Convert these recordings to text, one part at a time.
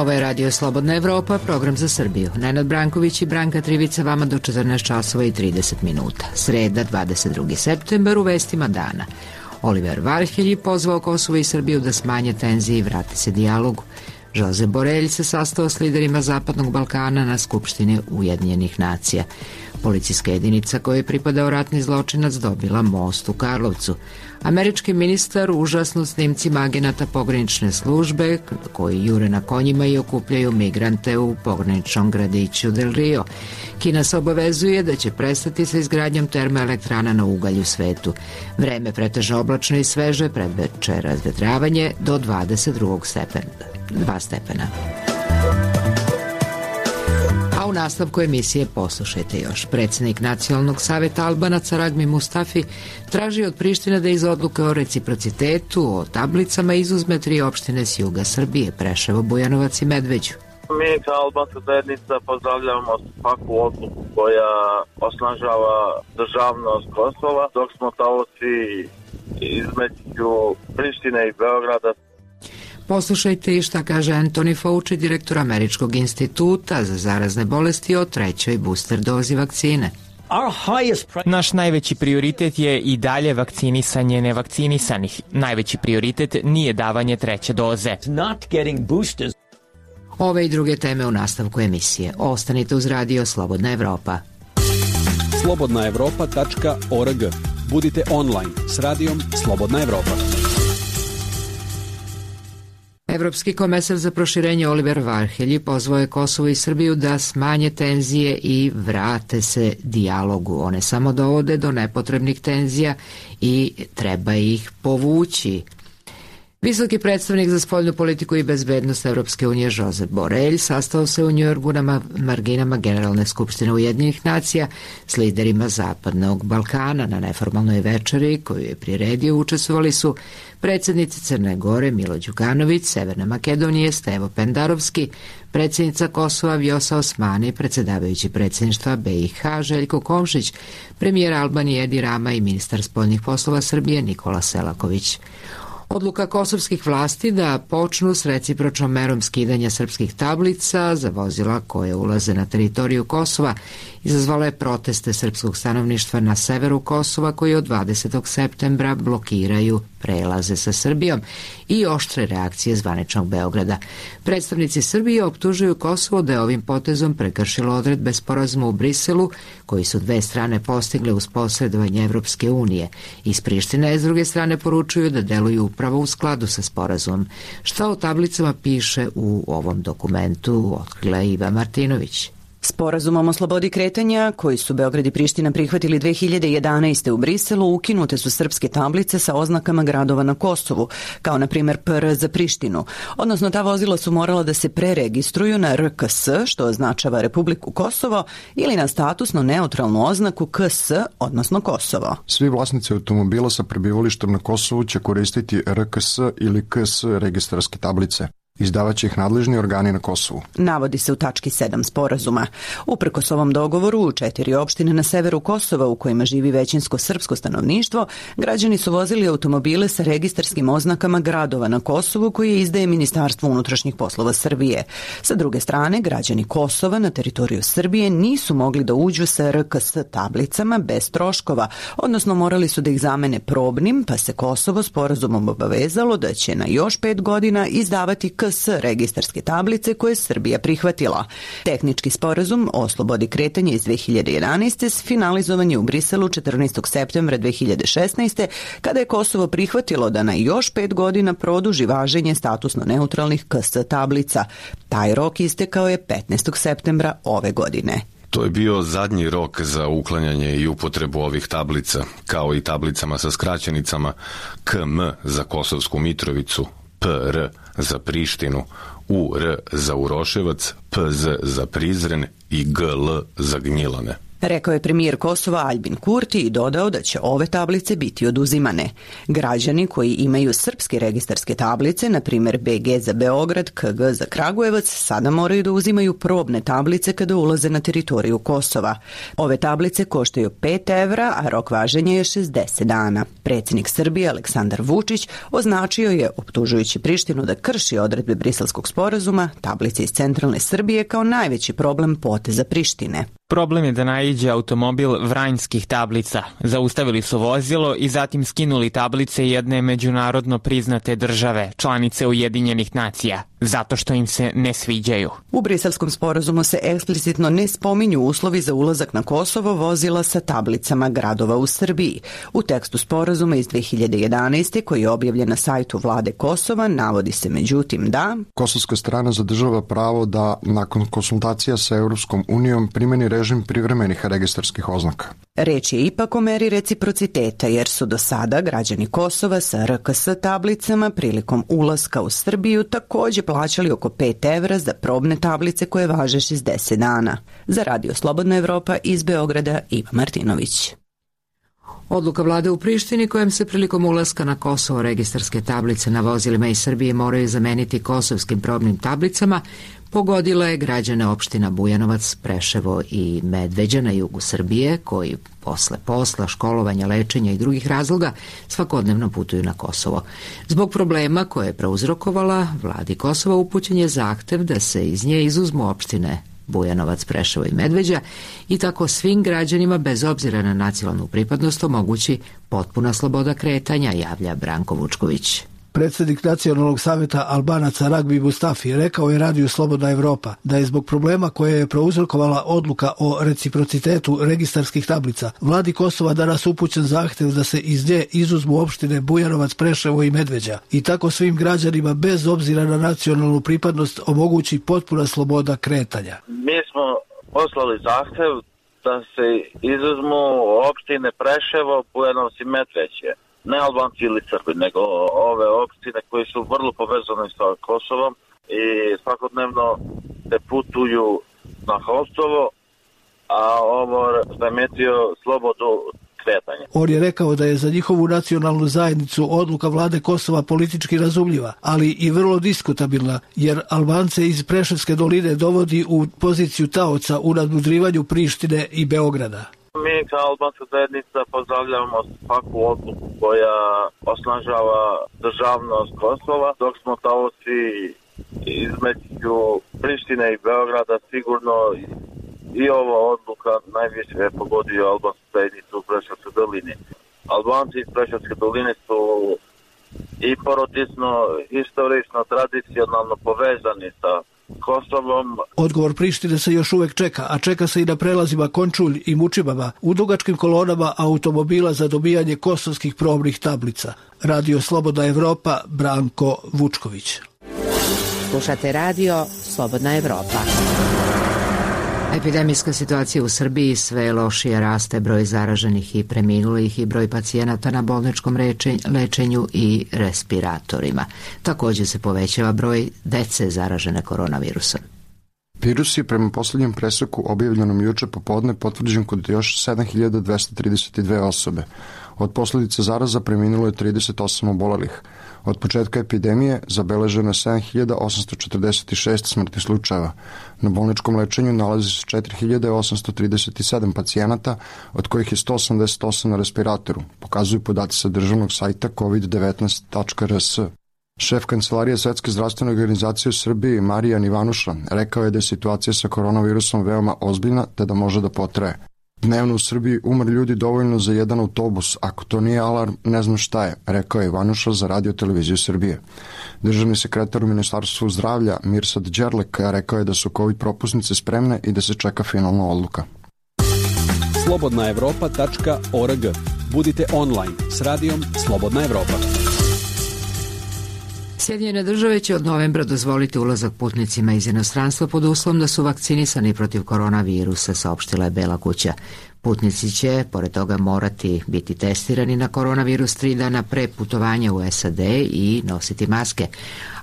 Ovo je Radio Slobodna Evropa, program za Srbiju. Nenad Branković i Branka Trivica vama do 14 časova i 30 minuta. Sreda, 22. septembar, u vestima dana. Oliver Varhelji pozvao Kosovo i Srbiju da smanje tenzije i vrati se dijalogu. Josep Borelj se sastao s liderima Zapadnog Balkana na Skupštini Ujedinjenih nacija. Policijska jedinica kojoj je pripadao ratni zločinac dobila most u Karlovcu. Američki ministar užasnut snimcima agenata pogranične službe koji jure na konjima i okupljaju migrante u pograničnom gradiću Del Rio. Kina se obavezuje da će prestati sa izgradnjom termoelektrana na ugalj u svetu. Vreme pretežno oblačno i sveže, predveče razvetravanje do 2 stepena. A u nastavku emisije poslušajte još. Predsjednik Nacionalnog saveta Albanaca Ragmi Mustafi traži od Prištine da iz odluke o reciprocitetu, o tablicama izuzme 3 opštine s juga Srbije, Preševo, Bujanovac i Medveđu. Mi kao albanska zajednica pozdravljamo svaku odluku koja osnažava državnost Kosova, dok smo taoci između Prištine i Beograda. Poslušajte i šta kaže Anthony Fauci, direktor Američkog instituta za zarazne bolesti, o 3. booster dozi vakcine. Naš najveći prioritet je i dalje vakcinisanje nevakcinisanih. Najveći prioritet nije davanje 3. doze. Ove i druge teme u nastavku emisije. Ostanite uz Radio Slobodna Evropa. slobodnaevropa.org. Budite online s radijom Slobodna Evropa. Evropski komesar za proširenje Oliver Varhelji pozvao je Kosovo i Srbiju da smanje tenzije i vrate se dijalogu. One samo dovode do nepotrebnih tenzija i treba ih povući. Visoki predstavnik za spoljnu politiku i bezbednost Evropske unije Josep Borelj sastao se u Njujorku na marginama Generalne skupštine Ujedinjenih nacija s liderima Zapadnog Balkana. Na neformalnoj večeri koju je priredio učestvovali su predsjednici Crne Gore Milo Đukanović, Severne Makedonije Stevo Pendarovski, predsjednica Kosova Vjosa Osmani, predsjedavajući predsjedništva BiH Željko Komšić, premijer Albanije Edi Rama i ministar spoljnih poslova Srbije Nikola Selaković. Odluka kosovskih vlasti da počnu s recipročnom merom skidanja srpskih tablica za vozila koje ulaze na teritoriju Kosova izazvala je proteste srpskog stanovništva na severu Kosova koji od 20. septembra blokiraju prelaze sa Srbijom i oštre reakcije zvaničnog Beograda. Predstavnici Srbije optužuju Kosovo da je ovim potezom prekršilo odredbe sporazuma u Briselu koji su dve strane postigle uz posredovanje Evropske unije. Iz Prištine s druge strane poručuju da deluju upravo u skladu sa sporazumom. Šta o tablicama piše u ovom dokumentu, otkrila Iva Martinović. Sporazumom o slobodi kretanja, koji su Beograd i Priština prihvatili 2011. u Briselu, ukinute su srpske tablice sa oznakama gradova na Kosovu, kao na primjer PR za Prištinu. Odnosno, ta vozila su morala da se preregistruju na RKS, što označava Republiku Kosovo, ili na statusno neutralnu oznaku KS, odnosno Kosovo. Svi vlasnici automobila sa prebivalištem na Kosovu će koristiti RKS ili KS registarske tablice. Izdavaće ih nadležni organi na Kosovu. Navodi se u tački 7 sporazuma. Uprkos ovom dogovoru, u 4 opštine na severu Kosova u kojima živi većinsko srpsko stanovništvo, građani su vozili automobile sa registarskim oznakama gradova na Kosovu koje izdaje Ministarstvo unutrašnjih poslova Srbije. Sa druge strane, građani Kosova na teritoriju Srbije nisu mogli da uđu sa RKS tablicama bez troškova, odnosno morali su da ih zamene probnim, pa se Kosovo sporazumom obavezalo da će na još 5 godina izdavati KS registarske tablice koje je Srbija prihvatila. Tehnički sporazum o slobodi kretanja iz 2011. finalizovan je u Briselu 14. septembra 2016. kada je Kosovo prihvatilo da na još 5 godina produži važenje statusno neutralnih KS tablica. Taj rok istekao je 15. septembra ove godine. To je bio zadnji rok za uklanjanje i upotrebu ovih tablica, kao i tablicama sa skraćenicama KM za Kosovsku Mitrovicu, PR za Prištinu, UR za Uroševac, PZ za Prizren i GL za Gnjilane. Rekao je premijer Kosova Aljbin Kurti i dodao da će ove tablice biti oduzimane. Građani koji imaju srpske registarske tablice, na primjer BG za Beograd, KG za Kragujevac, sada moraju da uzimaju probne tablice kada ulaze na teritoriju Kosova. Ove tablice koštaju 5 evra, a rok važenja je 60 dana. Predsjednik Srbije Aleksandar Vučić označio je, optužujući Prištinu da krši odredbe Briselskog sporazuma, tablice iz centralne Srbije kao najveći problem poteza Prištine. Problem je da naiđe automobil vranjskih tablica. Zaustavili su vozilo i zatim skinuli tablice jedne međunarodno priznate države, članice Ujedinjenih nacija, zato što im se ne sviđaju. U Briselskom sporazumu se eksplicitno ne spominju uslovi za ulazak na Kosovo vozila sa tablicama gradova u Srbiji. U tekstu sporazuma iz 2011. koji je objavljen na sajtu vlade Kosova navodi se međutim da kosovska strana zadržava pravo da nakon konsultacija sa Europskom unijom primeni režim privremenih registarskih oznaka. Reč je ipak o meri reciprociteta jer su do sada građani Kosova sa RKS tablicama prilikom ulaska u Srbiju također plaćali oko 5 evra za probne tablice koje važe 60 dana. Za Radio Slobodna Evropa iz Beograda Iva Martinović. Odluka vlade u Prištini kojom se prilikom ulaska na Kosovo registarske tablice na vozilima iz Srbije moraju zameniti kosovskim probnim tablicama pogodila je građane opština Bujanovac, Preševo i Medveđa na jugu Srbije koji posle posla, školovanja, lečenja i drugih razloga svakodnevno putuju na Kosovo. Zbog problema koje je prouzrokovala, vladi Kosova upućen je zahtev da se iz nje izuzmu opštine Bujanovac, Preševo i Medveđa i tako svim građanima bez obzira na nacionalnu pripadnost omogući potpuna sloboda kretanja, javlja Branko Vučković. Predsjednik Nacionalnog savjeta Albanaca Ragbi Mustafi rekao je Radiju Slobodna Evropa da je zbog problema koje je prouzrokovala odluka o reciprocitetu registarskih tablica vladi Kosova danas upućen zahtjev da se iz nje izuzmu opštine Bujanovac, Preševo i Medveđa i tako svim građanima bez obzira na nacionalnu pripadnost omogući potpuna sloboda kretanja. Mi smo poslali zahtjev da se izuzmu opštine Preševo, Bujanovac i Medveđa. Ne Albanci ili Srbi, nego ove opštine koji su vrlo povezane sa Kosovom i svakodnevno se putuju na Kosovo, a ovo zametio slobodu kretanja. On je rekao da je za njihovu nacionalnu zajednicu odluka vlade Kosova politički razumljiva, ali i vrlo diskutabilna, jer Albance iz Preševske doline dovodi u poziciju taoca u nadmudrivanju Prištine i Beograda. Mi kao albanska zajednica pozdravljamo svaku odluku koja osnažava državnost Kosova, dok smo taoci između Prištine i Beograda sigurno i ova odluka najviše je pogodio albansku zajednicu u Preševskoj dolini. Albanci iz Preševske doline su i porodično, historično, tradicionalno povezani sa Kosovom. Odgovor Prištine se još uvek čeka, a čeka se i na prelazima Končulj i Mučibama u dugačkim kolonama automobila za dobijanje kosovskih probnih tablica. Radio Slobodna Evropa, Branko Vučković. Slušate Radio Slobodna Evropa. Epidemijska situacija u Srbiji sve lošije raste, broj zaraženih i preminulih i broj pacijenata na bolničkom lečenju i respiratorima. Također se povećava broj dece zaražene koronavirusom. Virus je prema posljednjem preseku objavljenom juče popodne potvrđen kod još 7232 osobe. Od posljedica zaraza preminulo je 38 obolelih. Od početka epidemije zabeleženo je 7846 smrtnih slučajeva. Na bolničkom lečenju nalazi se 4837 pacijenata, od kojih je 188 na respiratoru, pokazuju podaci sa državnog sajta covid19.rs. Šef Kancelarije Svetske zdravstvene organizacije u Srbiji, Marijan Ivanuša, rekao je da je situacija sa koronavirusom veoma ozbiljna te da može da potraje. Dnevno u Srbiji umre ljudi dovoljno za jedan autobus. Ako to nije alarm, ne znam šta je, rekao je Ivanuša za Radio televiziju Srbije. Državni sekretar u Ministarstvu zdravlja Mirsad Đerlek rekao je da su COVID propusnice spremne i da se čeka finalna odluka. slobodnaevropa.org. Budite online s radijom Slobodna Evropa. Sjedinjene države će od novembra dozvoliti ulazak putnicima iz inostranstva pod uslovom da su vakcinisani protiv koronavirusa, saopštila je Bela kuća. Putnici će, pored toga, morati biti testirani na koronavirus 3 dana pre putovanja u SAD i nositi maske.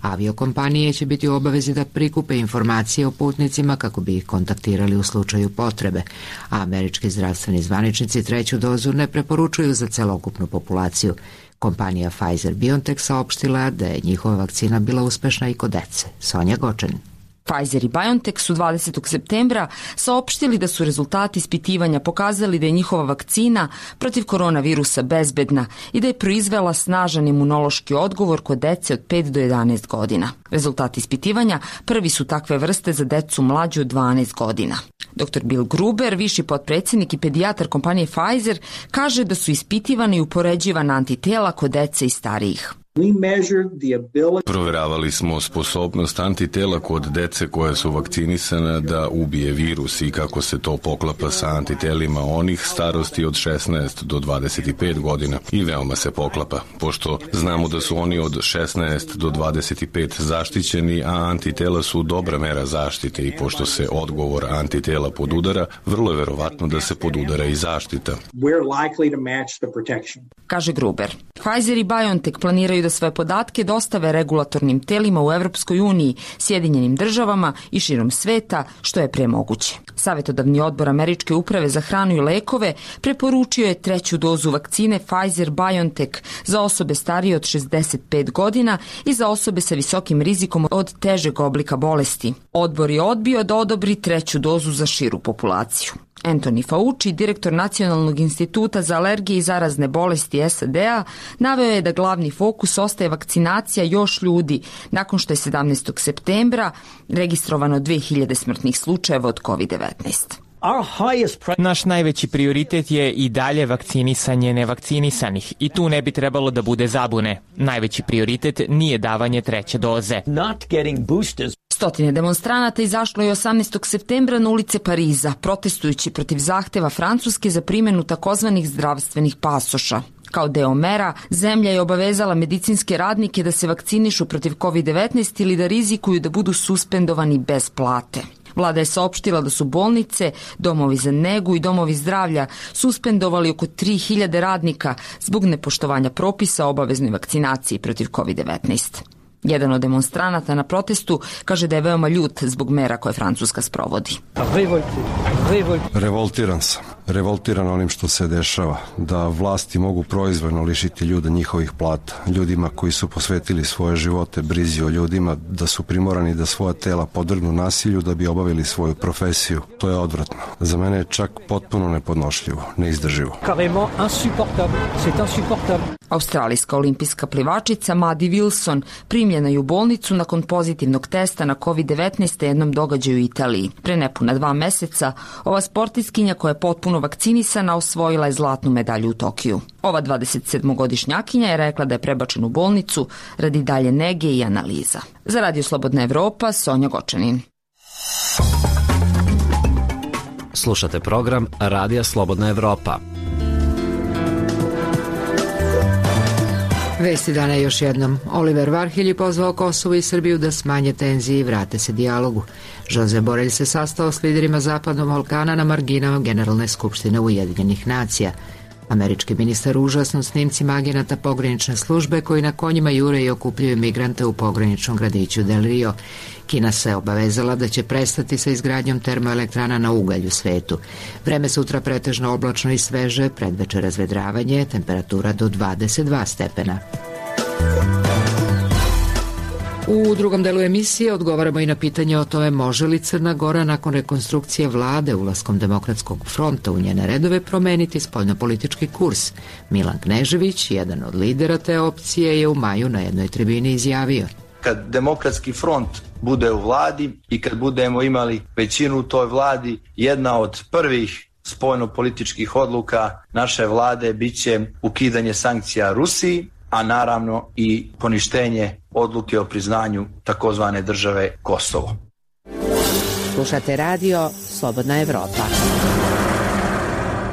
Aviokompanije će biti u obavezi da prikupe informacije o putnicima kako bi ih kontaktirali u slučaju potrebe, a američki zdravstveni zvaničnici 3. dozu ne preporučuju za celokupnu populaciju. Kompanija Pfizer-BioNTech saopštila da je njihova vakcina bila uspešna i kod dece. Sonja Gočanin. Pfizer i BioNTech su 20. septembra saopštili da su rezultati ispitivanja pokazali da je njihova vakcina protiv koronavirusa bezbedna i da je proizvela snažan imunološki odgovor kod dece od 5 do 11 godina. Rezultati ispitivanja prvi su takve vrste za decu mlađu od 12 godina. Dr. Bill Gruber, viši potpredsjednik i pedijatar kompanije Pfizer, kaže da su ispitivana i upoređivana antitela kod dece i starijih. Proveravali smo sposobnost antitela kod dece koja su vakcinisana da ubije virus i kako se to poklapa sa antitelima onih starosti od 16 do 25 godina i veoma se poklapa, pošto znamo da su oni od 16 do 25 zaštićeni, a antitela su dobra mera zaštite i pošto se odgovor antitela podudara, vrlo je verovatno da se podudara i zaštita. Kaže Gruber. Pfizer i BioNTech planiraju da svoje podatke dostave regulatornim telima u Evropskoj uniji, Sjedinjenim državama i širom sveta, što je pre moguće. Savetodavni odbor Američke uprave za hranu i lekove preporučio je 3. dozu vakcine Pfizer-BioNTech za osobe starije od 65 godina i za osobe sa visokim rizikom od težeg oblika bolesti. Odbor je odbio da odobri 3. dozu za širu populaciju. Anthony Fauci, direktor Nacionalnog instituta za alergije i zarazne bolesti SAD-a, naveo je da glavni fokus ostaje vakcinacija još ljudi nakon što je 17. septembra registrovano 2000 smrtnih slučajeva od COVID-19. Naš najveći prioritet je i dalje vakcinisanje nevakcinisanih i tu ne bi trebalo da bude zabune. Najveći prioritet nije davanje 3. doze. Stotine demonstranata izašlo je 18. septembra na ulice Pariza, protestujući protiv zahteva Francuske za primjenu takozvanih zdravstvenih pasoša. Kao deo mera, zemlja je obavezala medicinske radnike da se vakcinišu protiv COVID-19 ili da rizikuju da budu suspendovani bez plate. Vlada je saopštila da su bolnice, domovi za negu i domovi zdravlja suspendovali oko 3000 radnika zbog nepoštovanja propisa o obaveznoj vakcinaciji protiv COVID-19. Jedan od demonstranata na protestu kaže da je veoma ljut zbog mera koje Francuska sprovodi. Revoltiran sam. Revoltiran onim što se dešava. Da vlasti mogu proizvoljno lišiti ljude njihovih plata. Ljudima koji su posvetili svoje živote brizi o ljudima, da su primorani da svoja tela podvrgnu nasilju da bi obavili svoju profesiju. To je odvratno. Za mene je čak potpuno nepodnošljivo, neizdrživo. Australijska olimpijska plivačica Maddie Wilson primljena je u bolnicu nakon pozitivnog testa na COVID-19 na jednom događaju u Italiji. Pre nepuna 2 meseca ova sportistkinja koja je potpuno vakcinisana osvojila je zlatnu medalju u Tokiju. Ova 27-godišnjakinja je rekla da je prebačena u bolnicu radi dalje nege i analiza. Za Radio Slobodna Evropa, Sonja Gočanin. Slušate program Radija Slobodna Evropa. Vesti dana još jednom. Oliver Varhelj je pozvao Kosovo i Srbiju da smanje tenzije i vrate se dijalogu. Josep Borelj se sastao s liderima Zapadnog Balkana na marginama Generalne skupštine Ujedinjenih nacija. Američki ministar užasno snimcima agenata pogranične službe koji na konjima jure i okupljaju migrante u pograničnom gradiću Del Rio. Kina se obavezala da će prestati sa izgradnjom termoelektrana na ugalj u svetu. Vreme sutra pretežno oblačno i sveže, predveče razvedravanje, temperatura do 22 stepena. U drugom delu emisije odgovaramo i na pitanje o tome može li Crna Gora nakon rekonstrukcije vlade ulaskom Demokratskog fronta u njene redove promeniti spoljnopolitički kurs. Milan Knežević, jedan od lidera te opcije, je u maju na jednoj tribini izjavio: kad Demokratski front bude u vladi i kad budemo imali većinu u toj vladi, jedna od prvih spoljnopolitičkih odluka naše vlade biće ukidanje sankcija Rusiji, a naravno i poništenje odluke o priznanju takozvane države Kosovo. Slušate radio Slobodna Evropa.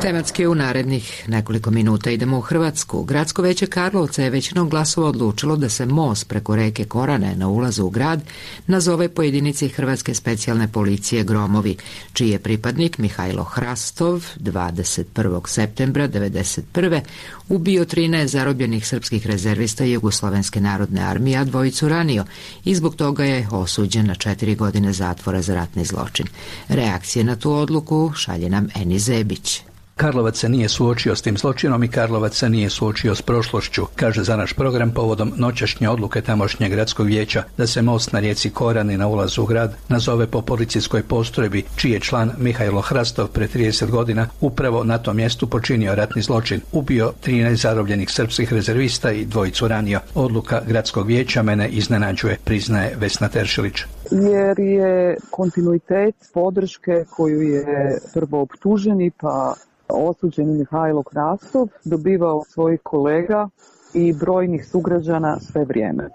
Tematski u narednih nekoliko minuta idemo u Hrvatsku. Gradsko veće Karlovca je većinom glasova odlučilo da se most preko reke Korane na ulazu u grad nazove po jedinici Hrvatske specijalne policije Gromovi, čiji je pripadnik Mihajlo Hrastov 21. septembra 1991. ubio 13 zarobljenih srpskih rezervista Jugoslovenske narodne armije, a dvojicu ranio i zbog toga je osuđen na 4 godine zatvora za ratni zločin. Reakcije na tu odluku šalje nam Eni Zebić. Karlovac se nije suočio s tim zločinom i Karlovac se nije suočio s prošlošću, kaže za naš program povodom noćašnje odluke tamošnjeg gradskog vijeća da se most na rijeci Korani na ulazu u grad nazove po policijskoj postrojbi, čiji je član Mihajlo Hrastov pre 30 godina upravo na tom mjestu počinio ratni zločin, ubio 13 zarobljenih srpskih rezervista i dvojicu ranio. Odluka gradskog vijeća mene iznenađuje, priznaje Vesna Teršilić. Jer je kontinuitet podrške koju je prvo optuženi pa osuđeni Mihajlo Hrastov dobivao svojih kolega i brojnih sugrađana sve vrijeme.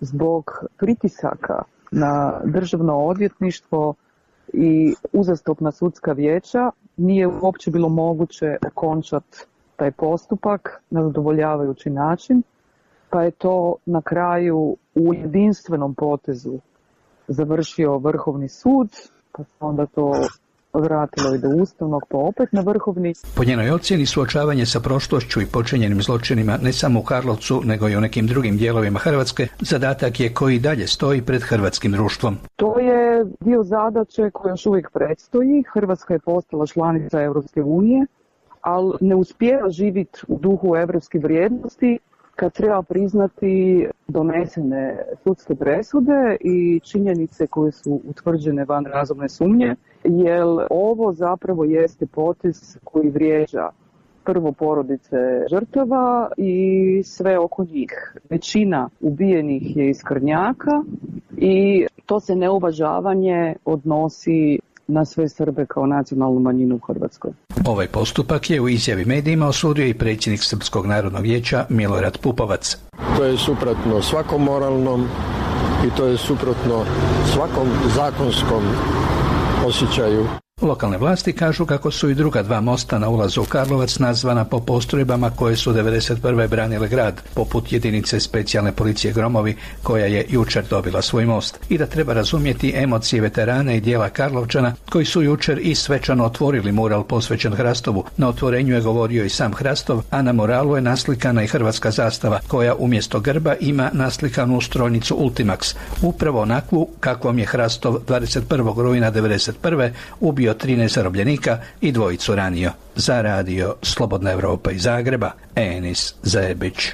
Zbog pritisaka na državno odvjetništvo i uzastopna sudska vijeća nije uopće bilo moguće okončati taj postupak na zadovoljavajući način, pa je to na kraju u jedinstvenom potezu završio Vrhovni sud, pa se onda to vratilo i do Ustavnog, pa opet na Vrhovni. Po njenoj ocjeni suočavanje sa prošlošću i počinjenim zločinima ne samo u Karlovcu, nego i u nekim drugim dijelovima Hrvatske, zadatak je koji dalje stoji pred hrvatskim društvom. To je dio zadaće koja još uvijek predstoji. Hrvatska je postala članica Europske unije, ali ne uspijeva živjeti u duhu europskih vrijednosti kad treba priznati donesene sudske presude i činjenice koje su utvrđene van razumne sumnje, jer ovo zapravo jeste potez koji vrijeđa prvo porodice žrtava i sve oko njih. Većina ubijenih je iz Krnjaka i to se neuvažavanje odnosi na sve Srbe kao nacionalnu manjinu u Hrvatskoj. Ovaj postupak je u izjavi medijima osudio i predsjednik Srpskog narodnog vijeća Milorad Pupovac. To je suprotno svakom moralnom i to je suprotno svakom zakonskom osjećaju. Lokalne vlasti kažu kako su i druga dva mosta na ulazu u Karlovac nazvana po postrojbama koje su 1991. branile grad, poput jedinice specijalne policije Gromovi, koja je jučer dobila svoj most. I da treba razumjeti emocije veterana i dijela Karlovčana, koji su jučer i svečano otvorili mural posvećen Hrastovu. Na otvorenju je govorio i sam Hrastov, a na muralu je naslikana i hrvatska zastava, koja umjesto grba ima naslikanu strojnicu Ultimax, upravo onakvu kakvom je Hrastov 21. rujna 1991. ubio 13 zarobljenika i dvojicu ranio. Za radio Slobodna Evropa iz Zagreba, Enis Zebić.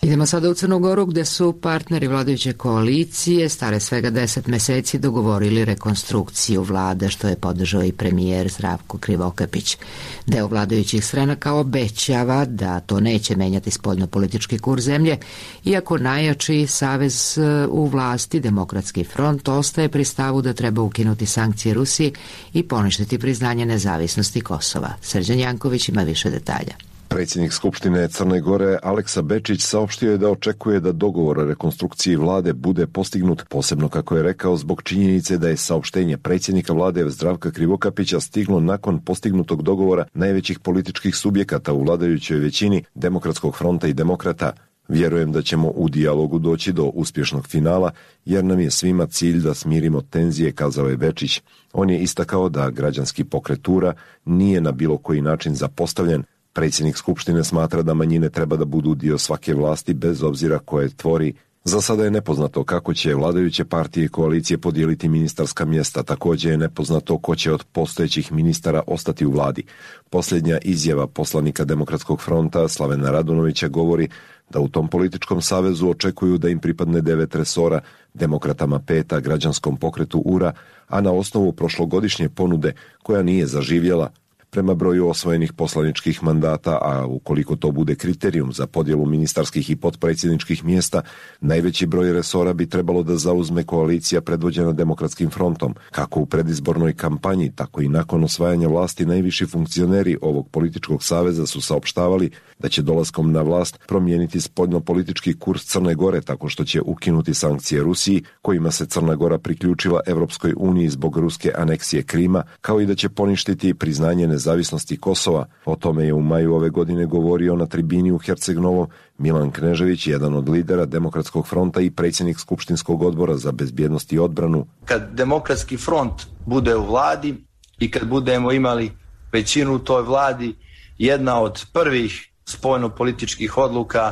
Idemo sada u Crnu Goru, gde su partneri vladajuće koalicije stare svega 10 meseci dogovorili rekonstrukciju vlade, što je podržao i premijer Zdravko Krivokapić. Deo vladajućih stranaka obećava da to neće menjati spoljnopolitički kurs zemlje, iako najjači savez u vlasti, Demokratski front, ostaje pri stavu da treba ukinuti sankcije Rusiji i poništiti priznanje nezavisnosti Kosova. Srđan Janković ima više detalja. Predsjednik Skupštine Crne Gore Aleksa Bečić saopštio je da očekuje da dogovor o rekonstrukciji vlade bude postignut, posebno kako je rekao zbog činjenice da je saopštenje predsjednika vlade Zdravka Krivokapića stiglo nakon postignutog dogovora najvećih političkih subjekata u vladajućoj većini, Demokratskog fronta i Demokrata. Vjerujem da ćemo u dijalogu doći do uspješnog finala, jer nam je svima cilj da smirimo tenzije, kazao je Bečić. On je istakao da građanski pokret URA nije na bilo koji način zapostavljen. Predsjednik Skupštine smatra da manjine treba da budu dio svake vlasti bez obzira koje tvori. Za sada je nepoznato kako će vladajuće partije i koalicije podijeliti ministarska mjesta, također je nepoznato ko će od postojećih ministara ostati u vladi. Posljednja izjava poslanika Demokratskog fronta Slavena Radunovića govori da u tom političkom savezu očekuju da im pripadne 9 resora, Demokratama 5, građanskom pokretu URA, a na osnovu prošlogodišnje ponude koja nije zaživjela. prema broju osvojenih poslaničkih mandata, a ukoliko to bude kriterijum za podjelu ministarskih i potpredsjedničkih mjesta, najveći broj resora bi trebalo da zauzme koalicija predvođena Demokratskim frontom. Kako u predizbornoj kampanji, tako i nakon osvajanja vlasti najviši funkcioneri ovog političkog saveza su saopštavali da će dolaskom na vlast promijeniti spoljnopolitički kurs Crne Gore tako što će ukinuti sankcije Rusiji, kojima se Crna Gora priključila Evropskoj uniji zbog ruske aneksije Krima, kao i da će poništiti priznanje nezavisnosti Kosova. O tome je u maju ove godine govorio na tribini u Herceg-Novom Milan Knežević, jedan od lidera Demokratskog fronta i predsjednik Skupštinskog odbora za bezbjednost i odbranu. Kad Demokratski front bude u vladi i kad budemo imali većinu u toj vladi, jedna od prvih spoljnopolitičkih odluka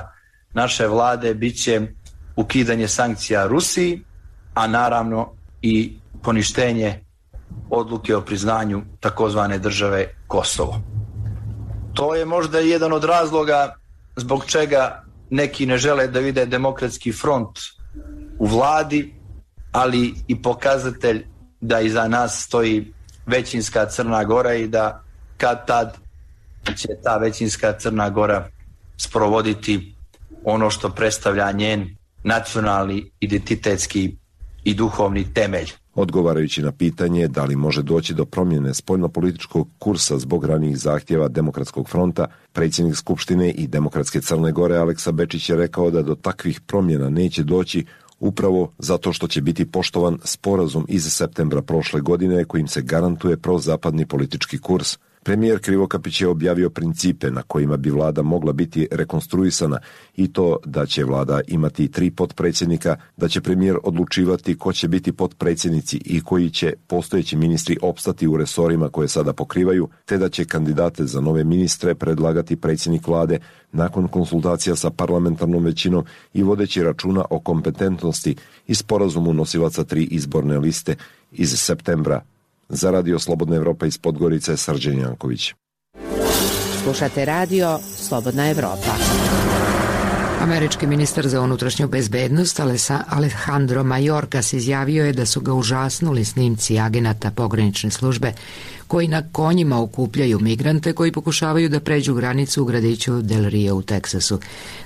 naše vlade biće ukidanje sankcija Rusiji, a naravno i poništenje odluke o priznanju takozvane države Kosovo. To je možda jedan od razloga zbog čega neki ne žele da vide Demokratski front u vladi, ali i pokazatelj da iza nas stoji većinska Crna Gora i da kad tad će ta većinska Crna Gora sprovoditi ono što predstavlja njen nacionalni, identitetski i duhovni temelj. Odgovarajući na pitanje da li može doći do promjene spoljnopolitičkog kursa zbog ranijih zahtjeva Demokratskog fronta, predsjednik Skupštine i Demokratske Crne Gore Aleksa Bečić je rekao da do takvih promjena neće doći upravo zato što će biti poštovan sporazum iz septembra prošle godine kojim se garantuje prozapadni politički kurs. Premijer Krivokapić je objavio principe na kojima bi vlada mogla biti rekonstruisana i to da će vlada imati 3 potpredsjednika, da će premijer odlučivati ko će biti potpredsjednici i koji će postojeći ministri opstati u resorima koje sada pokrivaju, te da će kandidate za nove ministre predlagati predsjednik vlade nakon konsultacija sa parlamentarnom većinom i vodeći računa o kompetentnosti i sporazumu nosilaca 3 izborne liste iz septembra. Za Radio Slobodna Evropa iz Podgorice, Srđan Janković. Slušate Radio Slobodna Evropa. Američki ministar za unutrašnju bezbednost Alejandro Mayorkas izjavio je da su ga užasnuli snimci agenata pogranične službe koji na konjima okupljaju migrante koji pokušavaju da pređu granicu u gradiću Del Rio u Teksasu.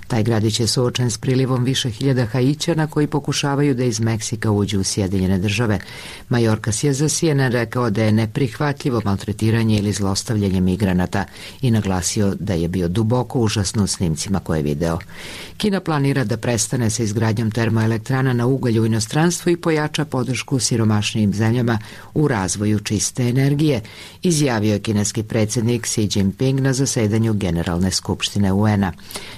Taj gradić je suočen s prilivom više hiljada Haićana koji pokušavaju da iz Meksika uđu u Sjedinjene države. Mayorkas je za CNN rekao da je neprihvatljivo maltretiranje ili zlostavljanje migranata i naglasio da je bio duboko užasno u snimcima koje je video. Kina planira da prestane sa izgradnjom termoelektrana na ugalj u inostranstvu i pojača podršku siromašnijim zemljama u razvoju čiste energije, izjavio je kineski predsjednik Xi Jinping na zasedanju Generalne skupštine UN-a.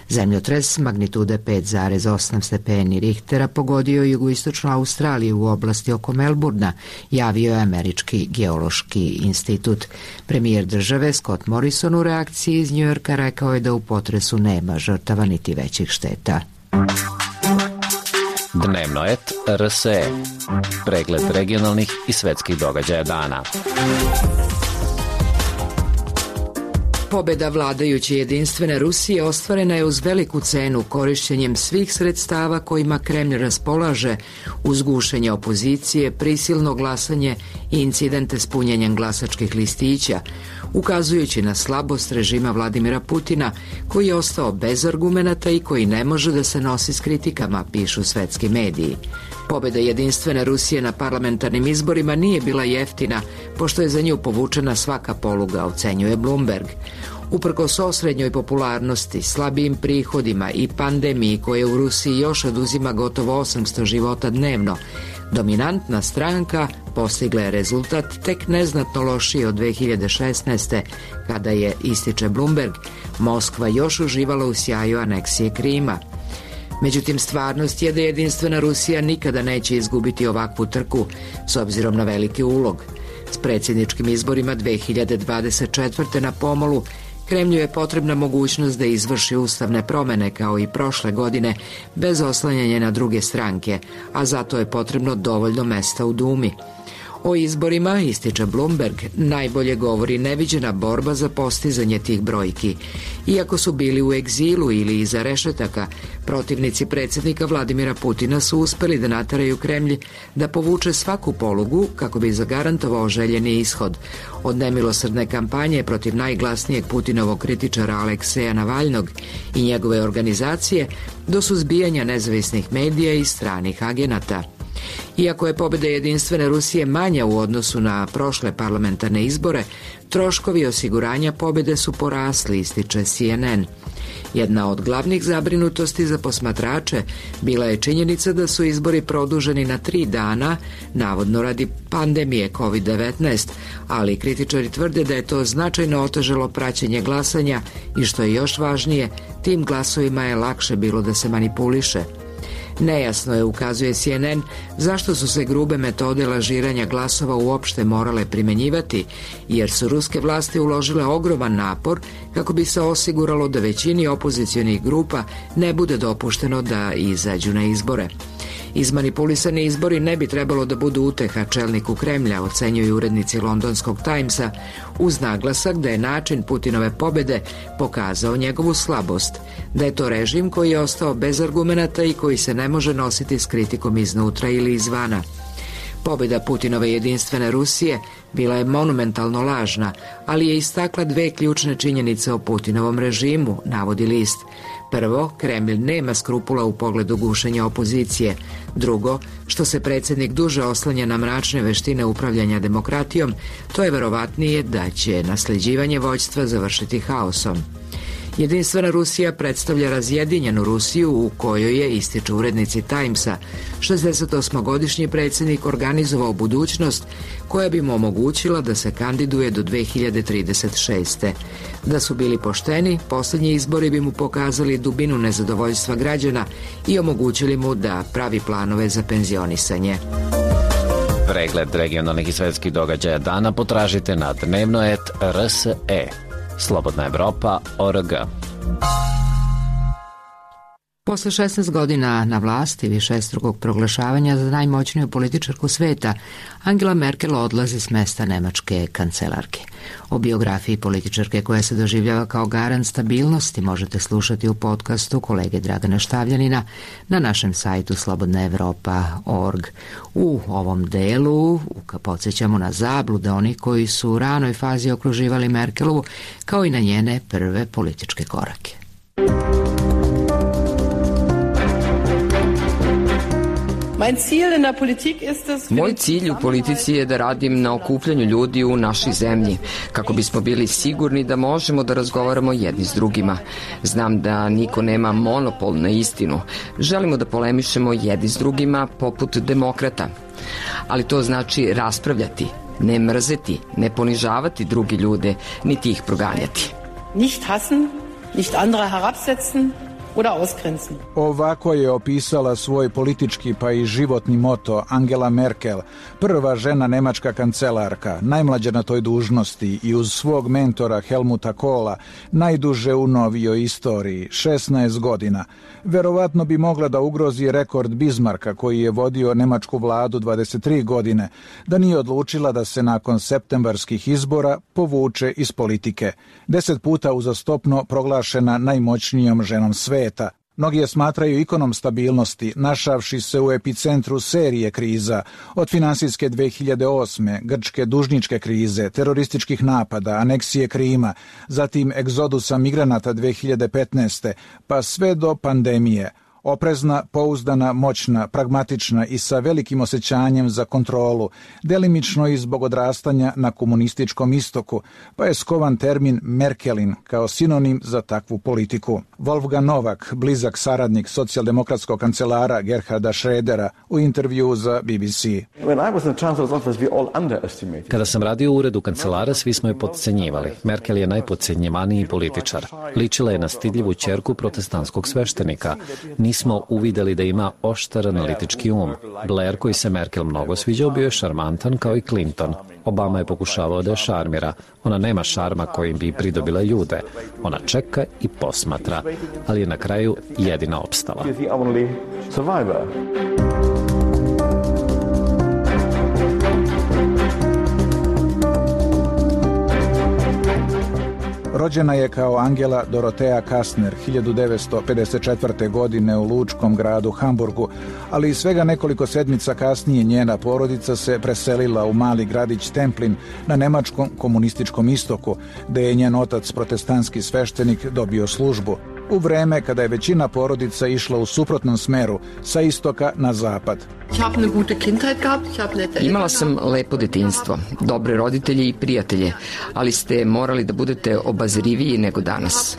Zemljotres magnitude 5,8 stepeni Richtera pogodio jugoistočnu Australiju u oblasti oko Melburna, javio je Američki geološki institut. Premijer države Scott Morrison u reakciji iz Njujorka rekao je da u potresu nema žrtava niti većih šteta. Dnevno et RSE. Pregled regionalnih i svetskih događaja dana. Pobeda vladajuće jedinstvene Rusije ostvarena je uz veliku cenu korišćenjem svih sredstava kojima Kremlj raspolaže, uz gušenje opozicije, prisilno glasanje i incidente s punjenjem glasačkih listića, ukazujući na slabost režima Vladimira Putina, koji je ostao bez argumenata i koji ne može da se nosi s kritikama, pišu svetski mediji. Pobjeda jedinstvene Rusije na parlamentarnim izborima nije bila jeftina, pošto je za nju povučena svaka poluga, ocenjuje Bloomberg. Uprkos osrednjoj popularnosti, slabijim prihodima i pandemiji koje u Rusiji još oduzima gotovo 800 života dnevno, dominantna stranka postigla je rezultat tek neznatno lošiji od 2016. kada je, ističe Bloomberg, Moskva još uživala u sjaju aneksije Krima. Međutim, stvarnost je da jedinstvena Rusija nikada neće izgubiti ovakvu trku s obzirom na veliki ulog. S predsjedničkim izborima 2024. na pomolu Kremlju je potrebna mogućnost da izvrši ustavne promjene kao i prošle godine bez oslanjanja na druge stranke, a zato je potrebno dovoljno mesta u Dumi. O izborima, ističe Bloomberg, najbolje govori neviđena borba za postizanje tih brojki. Iako su bili u egzilu ili iza rešetaka, protivnici predsjednika Vladimira Putina su uspeli da nateraju Kremlj da povuče svaku polugu kako bi zagarantovao željeni ishod. Od nemilosrdne kampanje protiv najglasnijeg Putinovog kritičara Alekseja Navalnog i njegove organizacije do suzbijanja nezavisnih medija i stranih agenata. Iako je pobjeda Jedinstvene Rusije manja u odnosu na prošle parlamentarne izbore, troškovi osiguranja pobjede su porasli, ističe CNN. Jedna od glavnih zabrinutosti za posmatrače bila je činjenica da su izbori produženi na 3 dana, navodno radi pandemije COVID-19, ali kritičari tvrde da je to značajno otežalo praćenje glasanja i što je još važnije, tim glasovima je lakše bilo da se manipuliše. Nejasno je, ukazuje CNN, zašto su se grube metode lažiranja glasova uopšte morale primenjivati, jer su ruske vlasti uložile ogroman napor kako bi se osiguralo da većini opozicionih grupa ne bude dopušteno da izađu na izbore. Izmanipulisani izbori ne bi trebalo da budu uteha čelniku Kremlja, ocenjuju urednici Londonskog Timesa, uz naglasak da je način Putinove pobjede pokazao njegovu slabost, da je to režim koji je ostao bez argumenata i koji se ne može nositi s kritikom iznutra ili izvana. Pobjeda Putinove Jedinstvene Rusije bila je monumentalno lažna, ali je istakla 2 ključne činjenice o Putinovom režimu, navodi list. Prvo, Kremlj nema skrupula u pogledu gušenja opozicije. Drugo, što se predsjednik duže oslanja na mračne veštine upravljanja demokratijom, to je verovatnije da će nasljeđivanje vođstva završiti haosom. Jedinstvena Rusija predstavlja razjedinjenu Rusiju u kojoj je, ističu urednici Timesa, 68-godišnji predsjednik organizovao budućnost koja bi mu omogućila da se kandiduje do 2036. Da su bili pošteni, posljednji izbori bi mu pokazali dubinu nezadovoljstva građana i omogućili mu da pravi planove za penzionisanje. Pregled regionalnih i svetskih događaja dana potražite na dnevno.rs.e. Slobodna Evropa.org. Posle 16 godina na vlasti višestrukog proglašavanja za najmoćniju političarku sveta, Angela Merkel odlazi s mesta nemačke kancelarke. O biografiji političarke koja se doživljava kao garant stabilnosti možete slušati u podcastu kolege Dragana Štavljanina na našem sajtu slobodnaevropa.org. U ovom delu podsjećamo na zablude onih koji su u ranoj fazi okruživali Merkelovu, kao i na njene prve političke korake. Moj cilj u politici je da radim na okupljanju ljudi u našoj zemlji, kako bismo bili sigurni da možemo da razgovaramo jedni s drugima. Znam da niko nema monopol na istinu. Želimo da polemišemo jedni s drugima poput demokrata. Ali to znači raspravljati, ne mrzeti, ne ponižavati drugi ljude, niti ih proganjati. Nicht hassen, nicht andere herabsetzen, Ovako je opisala svoj politički pa i životni moto Angela Merkel, prva žena nemačka kancelarka, najmlađa na toj dužnosti i uz svog mentora Helmuta Kohla, najduže u novijoj istoriji, 16 godina. Verovatno bi mogla da ugrozi rekord Bismarcka koji je vodio nemačku vladu 23 godine, da nije odlučila da se nakon septembarskih izbora povuče iz politike. 10 puta uzastopno proglašena najmoćnijom ženom sveta. Mnogi je smatraju ikonom stabilnosti, našavši se u epicentru serije kriza, od finansijske 2008. grčke dužničke krize, terorističkih napada, aneksije Krima, zatim egzodusa migranata 2015. pa sve do pandemije. Oprezna, pouzdana, moćna, pragmatična i sa velikim osjećanjem za kontrolu, delimično i zbog odrastanja na komunističkom istoku, pa je skovan termin Merkelin kao sinonim za takvu politiku. Wolfgang Novak, blizak saradnik socijaldemokratskog kancelara Gerharda Schrödera, u intervju za BBC. Kada sam radio u uredu kancelara, svi smo je potcenjivali. Merkel je najpodcenjivaniji političar. Ličila je na stidljivu ćerku protestantskog sveštenika. Nismo uvideli da ima oštar analitički um. Blair, koji se Merkel mnogo sviđao, bio je šarmantan kao i Clinton. Obama je pokušavao da je šarmira. Ona nema šarma kojim bi pridobila ljude. Ona čeka i posmatra, ali je na kraju jedina opstala. Rođena je kao Angela Dorotea Kastner 1954. godine u lučkom gradu Hamburgu, ali svega nekoliko sedmica kasnije njena porodica se preselila u mali gradić Templin na nemačkom komunističkom istoku, gde je njen otac, protestantski sveštenik, dobio službu. U vreme kada je većina porodica išla u suprotnom smeru, sa istoka na zapad. Imala sam lepo detinjstvo, dobre roditelje i prijatelje, ali ste morali da budete obazriviji nego danas.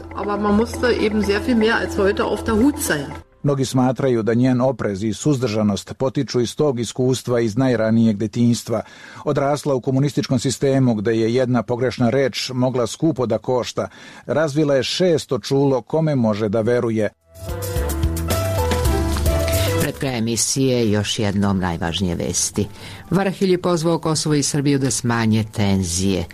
Mnogi smatraju da njen oprez i suzdržanost potiču iz tog iskustva iz najranijeg detinjstva. Odrasla u komunističkom sistemu gde je jedna pogrešna reč mogla skupo da košta. Razvila je 600 čulo kome može da veruje. Pred krajem emisije još jednom najvažnije vesti. Varhelj je pozvao Kosovo i Srbiju da smanje tenzije.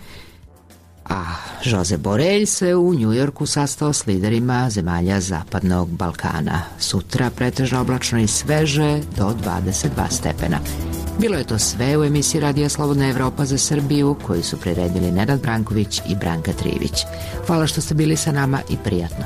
A Josep Borelj se u Njujorku sastao s liderima zemalja Zapadnog Balkana. Sutra pretežno oblačno i sveže do 22 stepena. Bilo je to sve u emisiji Radija Slobodna Evropa za Srbiju, koju su priredili Nenad Branković i Branka Trivić. Hvala što ste bili sa nama i prijatno.